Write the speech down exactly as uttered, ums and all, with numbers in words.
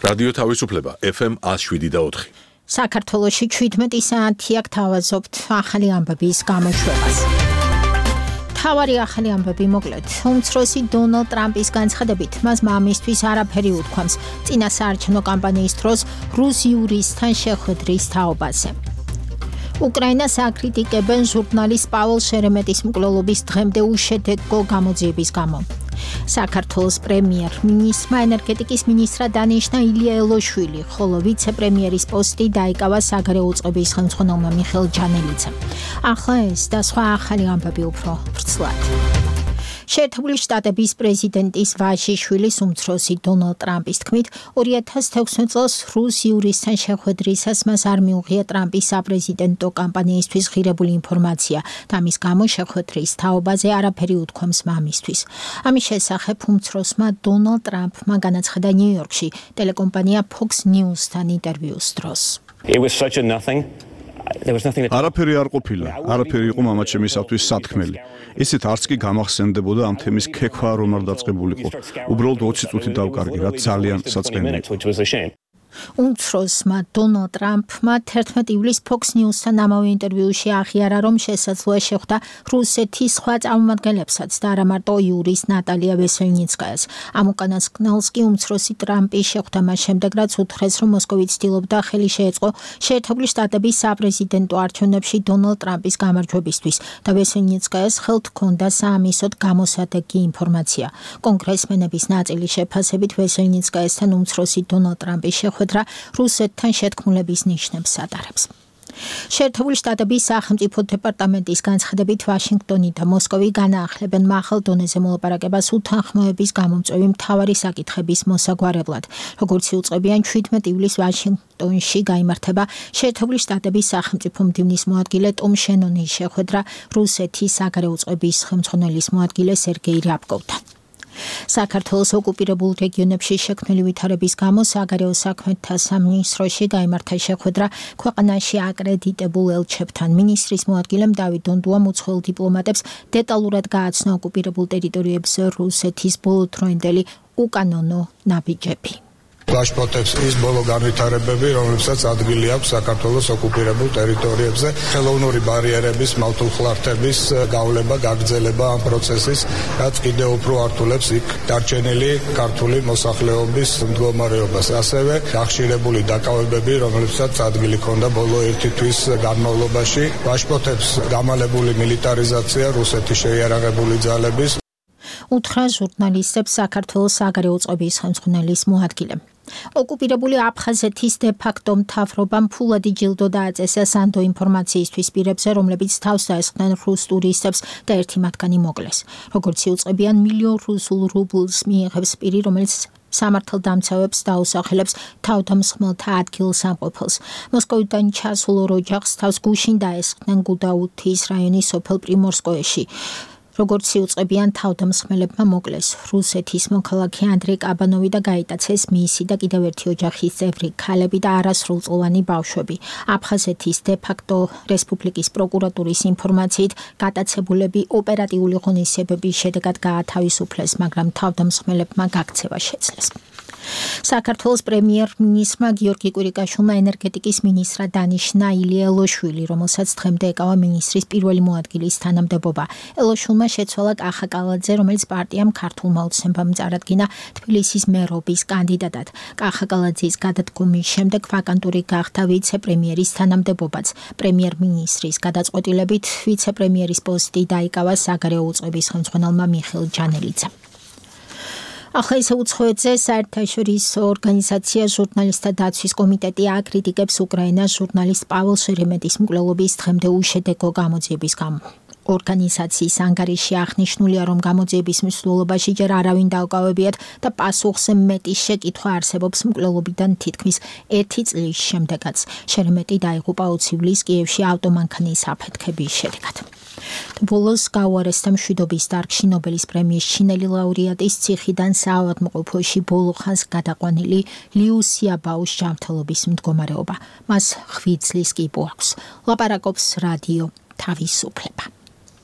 რადიო თავისუფლება F M one oh seven და four. საქართველოში ჩვიდმეტი საათი აქ თავაზობთ ახალი ამბების გამოშვებას. თავარი ახალი ამბები მოკლედ. უმცროსი დონალდ ტრამპის განცხადებით, მას მამისთვის არაფერი უთქვამს წინა საარჩევნო კამპანიის დროს რუს იურისტთან შეხვედრის თაობაზე. უკრაინას აკრიტიკებენ ჟურნალისტ პაველს შერემეტის მკვლელობის დღემდე უშედეგო გამოძიების გამო. საქართველოს პრემიერ-მინისტრმა ენერგეტიკის მინისტრად დანიშნა ილია ელოშვილი, ხოლო ვიცე-პრემიერის პოსტი დაიკავა საგარეო უწყების ხელმძღვანელმა მიხეილ ჯანელიძემ. ახლა ეს და სხვა ახალი ამბები უფრო ვრცლად. შეერთებული შტატების პრეზიდენტის ვაჟიშვილის უმცროსი დონალდ ტრამპის თქმით, ორი ათას თექვსმეტ წელს რუს იურისტთან შეხვედრისას მას არ მიუღია ტრამპის საპრეზიდენტო კამპანიისთვის ღირებული ინფორმაცია და მის გამო შეხვედრის თაობაზე არაფერი უთქვამს მამისთვის. ამის შესახებ უმცროსმა დონალდ ტრამპმა განაცხადა ნიუ-იორკში ტელეკომპანია Fox News-თან ინტერვიუს დროს. It was such a nothing. არაფერი არ ყოფილა, არაფერი იყო მამაჩემისათვის სათქმელი. ისეთ არც კი გამახსენდებოდა ამ თემის ქექვა რომ არ დაწყებულიყო. უბრალოდ ოცი წუთი დავკარგი, რაც ძალიან საწყენია. უმცროსმა დონალდ ტრამპმა თერთმეტ ივლისს Fox News-თან ამავე ინტერვიუში აღიარა, რომ შესაძლოა შეხვდა რუსეთის სხვა წარმომადგენლებსაც და არა მარტო იურისტ ნატალია ვესელნიცკაიას. ამ უკანასკნელს კი უმცროსი ტრამპის შეხვდა მას შემდეგ, რაც უთხრეს, რომ მოსკოვი ცდილობდა ხელი შეეწყო შეერთებული შტატების საპრეზიდენტო არჩევნებში დონალდ ტრამპის გამარჯვებისთვის და ვესელნიცკაიას ხელთ ჰქონდა საამისოდ გამოსადეგი ინფორმაცია. კონგრესმენების ნაწილის შეფასებით ვესელნიცკაიასთან უმცროსი დონალდ ტრამპის შეხვედრა რუსეთთან შეთქმულების ნიშნებს ატარებს. შეერთებული შტატების სახელმწიფო დეპარტამენტის განცხადებით ვაშინგტონი და მოსკოვი განაახლებენ მაღალ დონეზე მოლაპარაკებას უთანხმოების გამომწვევი მთავარი საკითხების მოსაგვარებლად. როგორც იუწყებიან, შვიდმეტ ივლისს ვაშინგტონში გაიმართება შეერთებული შტატების სახელმწიფო მდივნის მოადგილე ტომ შენონის შეხვედრა რუსეთის საგარეო უწყების ხელმძღვანელის მოადგილე სერგეი რიაბკოვთან. საქართველოს ოკუპირებულ რეგიონებში შექმნილი ვითარების გამო საგარეო საქმეთა სამინისტროში გაიმართა შეხვედრა ქვეყანაში აკრედიტებულ ელჩებთან. მინისტრის მოადგილემ დავით დონდუამ უცხოელ დიპლომატებს დეტალურად გააცნო ოკუპირებულ ტერიტორიებზე რუსეთის ბოლოდროინდელი უკანონო ნაბიჯები. გაშფოთებს ის ბოლო განვითარებები, რომლებსაც ადგილი აქვს საქართველოს ოკუპირებულ ტერიტორიებზე, ხელოვნური ბარიერების, მავთულხლართების გავლება, გაგრძელება ამ პროცესის, რაც კიდევ უფრო ართულებს იქ დარჩენილი ქართული მოსახლეობის მდგომარეობას. ასევე გახშირებული დაკავებები, რომლებსაც ადგილი ჰქონდა ბოლო ერთი თვის განმავლობაში, გაშფოთებს გამალებული მილიტარიზაცია რუსეთის შეიარაღებული ძალების. უთხრა ჟურნალისტებს საქართველოს საგარეო უწყების ხელმძღვანელის მოადგილემ. ოკუპირებული აფხაზეთის დე-ფაქტო მთავრობამ ფულადი ჯილდო დააწესა სანდო ინფორმაციისთვის პირებზე, რომლებიც თავს დაესხნენ რუს ტურისტებს და ერთი მათგანი მოკლეს. როგორც იუწყებიან, მილიონ რუსულ რუბლს მიიღებს პირი, რომელიც სამართალდამცავებს დაუსახელებს თავდამსხმელთა ადგილსამყოფელს. მოსკოვიდან ჩასულ ორ ოჯახს თავს გუშინ დაესხნენ გუდაუთის რაიონის სოფელ პრიმორსკოეში. როგორც იუწყებიან, თავდამსხმელებმა მოკლეს რუსეთის მოქალაქე ანდრეი კაბანოვი და გაიტაცეს მისი და კიდევ ერთი ოჯახის წევრი ქალები და არასრულწლოვანი ბავშვები. აფხაზეთის დე-ფაქტო რესპუბლიკის პროკურატურის ინფორმაციით, გატაცებულები ოპერატიული ღონისძიებების შედეგად გაათავისუფლეს, მაგრამ თავდამსხმელებმა გაქცევა შეძლეს. საქართველოს პრემიერ-მინისტრმა გიორგი კვირიკაშვილმა ენერგეტიკის მინისტრად დანიშნა ილია ელოშვილი, რომელსაც დღემდე ეკავა მინისტრის პირველი მოადგილის თანამდებობა. ელოშვილმა შეცვალა კახა კალაძე, რომელიც პარტიამ ქართულმა ოცნებამ წარადგინა თბილისის მერობის კანდიდატად. კახა კალაძის გადადგომის შემდეგ ვაკანტური გახდა ვიცე-პრემიერის თანამდებობაც. პრემიერ-მინისტრის გადაწყვეტილებით ვიცე-პრემიერის პოსტი დაიკავა საგარეო უწყების ხელმძღვანელმა მიხეილ ჯანელიძემ. ახლა ისე უცხოეთზე საერთაშორისო ორგანიზაცია ჟურნალისტთა დაცვის კომიტეტი აკრიტიკებს უკრაინას ჟურნალისტ პაველს შერემეტის მკვლელობის დღემდე უშედეგო გამოძიების გამო. ორგანიზაციის ანგარიში აღნიშნულია, რომ გამოძიების მსვლელობაში ჯერ არავინ დაუკავებიათ და პასუხზე მეტი შეკითხვა არსებობს მკვლელობიდან თითქმის ერთი წლის შემდეგაც. შერემეტი დაიღუპა ოცი ივლისს კიევში ავტომანქანის აფეთქების შედეგად. ბოლოს გაუარესდა მშვიდობის დარგში ნობელის პრემიის ჩინელი ლაურეატის ციხიდან საავადმყოფოში ბოლო ხანს გადაყვანილი liu xiaobaos ჯანმრთელობის მდგომარეობა. მას ხვი წლის კიბო აქვს. ლაპარაკობს რადიო თავისუფლება.